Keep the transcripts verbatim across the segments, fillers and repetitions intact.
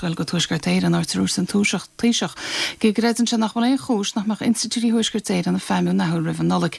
Gael go Tuaisceart Éireann áit a dúirt an Taoiseach go gcreideann sé nach bhfuil aon chúis nach mbeadh institiúidí Thuaisceart Éireann ag feidhmiú athuair roimh an Nollaig.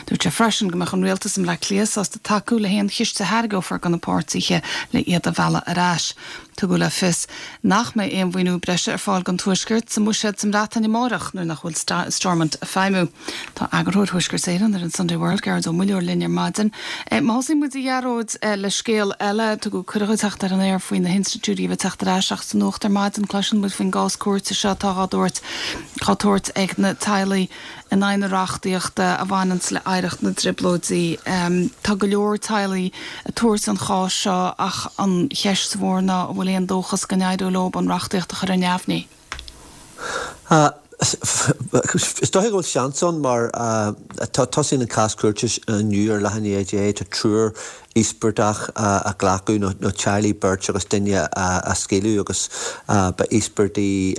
Dúirt sé freisin go mbeadh an rialtas i mBleá Cliath sásta tacú le haon chiste a thairgeofar do na páirtithe le iad a mhealladh ar ais. Tugadh le fios nach mbeidh aon mhaoiniú breise ar fáil don Tuaisceart sa mbuiséad sa mBreatain amárach nuair nach bhfuil Stormont ag feidhmiú. Tá eagarthóir Thuaisceart Éireann ar an Sunday World Gearóid Ó Muilleoir linn ar maidin. E, má thosaíonn muid a Ghearóid e, le scéal eile tugadh cuireadh teacht ar an aer faoi na hinstitiúidí a bheith teacht ar ais ach sa nuacht ar maidin cloiseann muid faoin gcás cúirte seo atá á dtabhairt á tabhairt ag na teaghlaigh in aghaidh na reachtaíochta a bhaineann le hoidhreacht na dTrioblóidí. Um, tá go leor teaghlaigh ag tabhairt an chás seo ach an cheist mhór ná an bhfuil aon dóchas go n-éireoidh leo an reachtaíocht a chur ar neamhní. Uh, Is dócha go bhfuil seans ann mar tá tosaíonn an cás cúirte inniu ar leath i ndiaidh a deich tá triúr íospartach a glacadh nó teaghlaigh beirt agus duine a scaoileadh agus ba íospartaigh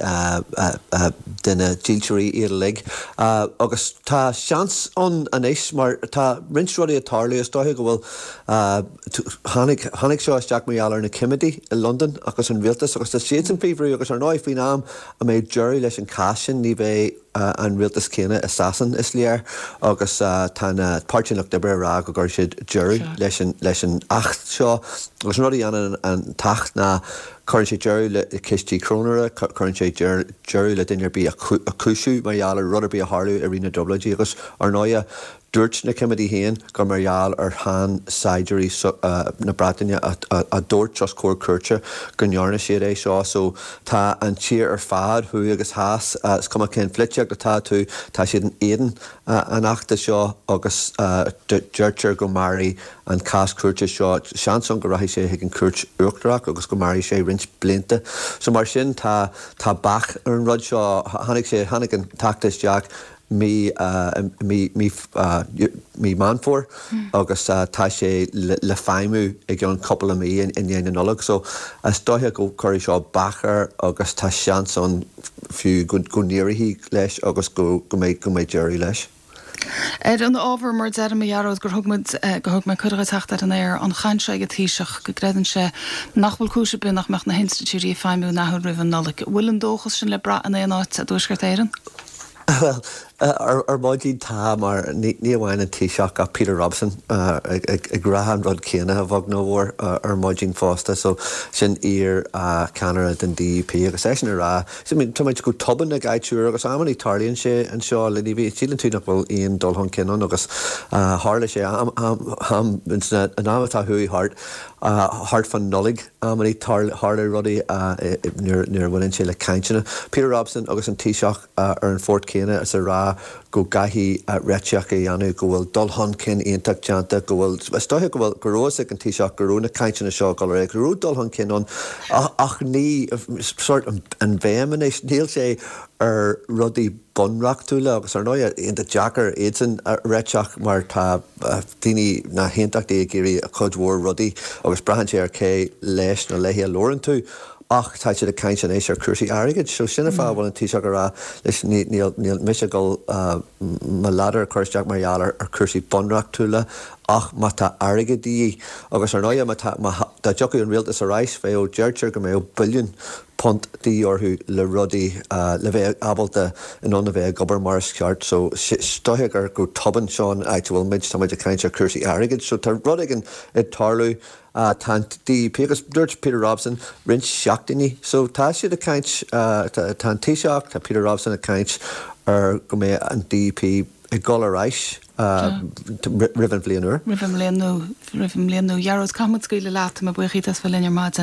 de na dílseoirí iad uilig. agus tá seans ann anois mar tá roinnt rudaí ag tarlú is dócha go bhfuil tháinig tháinig seo isteach mar gheall ar na cimidí i Londain agus an rialtas agus tá siad san faoi bhrú agus ar ndóigh faoin am a mbeidh deireadh leis an cás sin ní bheidh an rialtas céanna i Sasain is léir agus tá na Páirtí Lucht Oibre rá go gcuirfidh siad deireadh leis an leis an acht seo agus an rud a dhéanann an t-acht ná cuireann sé deireadh le cistí cróinéara, cuireann sé deireadh le duine ar bith a chúisiú mar gheall ar rud ar bith a tharla i rith na dTrioblóidí agus ar ndóigh dúirt na cimidí féin gur mar gheall ar sheansaighdiúirí na Breataine a dúirt os comhair cúirte go ndearna siad é seo, so tá an tír ar fad thuaidh agus theas is cuma cén pholaitíocht atá tú tá siad in éadan an achta seo agus deirtear go mairfidh an cás cúirte seo seans ann go rachaidh sé chuig an cúirt uachtarach agus go mairfidh sé roinnt blianta. So mar sin tá tá bac ar an rud seo tháinig sé tháinig an t-acht isteach mí mí mí mí Meán Fómhair agus tá sé le feidhmiú i gceann cúpla mí i ndiaidh na Nollag, so is dócha go gcuirfidh seo bac air agus tá seans ann fiú go n-éireoidh leis agus go go mbeidh go mbeidh deireadh leis. Ar an ábhar mar deir a Ghearóid gur thug muid go thug mé cuireadh teacht ar an aer an chaint seo ag an Taoiseach go gcreideann sé nach bhfuil cúis ar bith nach mbeadh na hinstitiúidí ag feidhmiú athuair roimh an Nollaig. Bhfuil an dóchas sin le brath in aon áit i dTuaisceart Éireann? Well ar ar maidin tá mar ní amháin an Taoiseach ach Peter Robson ag rá an rud céanna a bheag nó a mhór ar maidin fosta, so sin iar ceannaire den DUP agus eisean ag rá tá muid go tobann ag áitiúir agus amannaí tarlaíonn sé anseo le ní bhí síleann tú nach bhfuil aon dul chun cinn ann agus tharla sé am an am atá chuaigh thart thart fan Nollaig amannaí tharla rudaí nuair a bhaineann sé le cainteanna. Peter Robson agus an Taoiseach ar an phort céanna is a rá go gcaithfidh réiteach a dhéanamh go bhfuil dul chun cinn iontach déanta go bhfuil is dócha go bhfuil go raibh ag an Taoiseach go raibh na cainteanna seo go raibh go raibh dul chun cinn ann ach ní sort an bhéim anois níl sé ar rudaí bunreachtúla agus ar ndóigh iontach deacair iadsan a réiteach mar tá daoine na haontachtaithe ag iarraidh a chuid mhór rudaí agus braitheann sé ar cé leis nó léi a labhrann tú ach tá siad ag caint anois ar cúrsaí airgid, so sin an fáth a bhfuil an Taoiseach ag rá leis níl níl mise ag dul mo ladar a chur isteach mar gheall ar cúrsaí bunreachtúla ach má tá airgead de dhíth agus ar ndóigh má tá má dá dtiocfadh an rialtas ar ais bheadh deirtear go mbeadh billiún punt de dhíth orthu le rudaí le bheith ábalta in ann a bheith ag obair mar is ceart so is dócha gur go tobann seo an áit a bhfuil muid tá muid ag caint ar cúrsaí airgid so tá rud éigin ag tarlú tá an DUP agus dúirt Peter Robson roinnt seachtainí so tá siad ag caint tá an Taoiseach tá Peter Robson ag caint ar go mbeidh an DUP ag dul ar ais roimh an bhliain úr. Roimh an mbliain nua roimh an mbliain nua. Gearóid caithfidh muid scaoileadh leat mé buíoch as bheith linn ar maidin.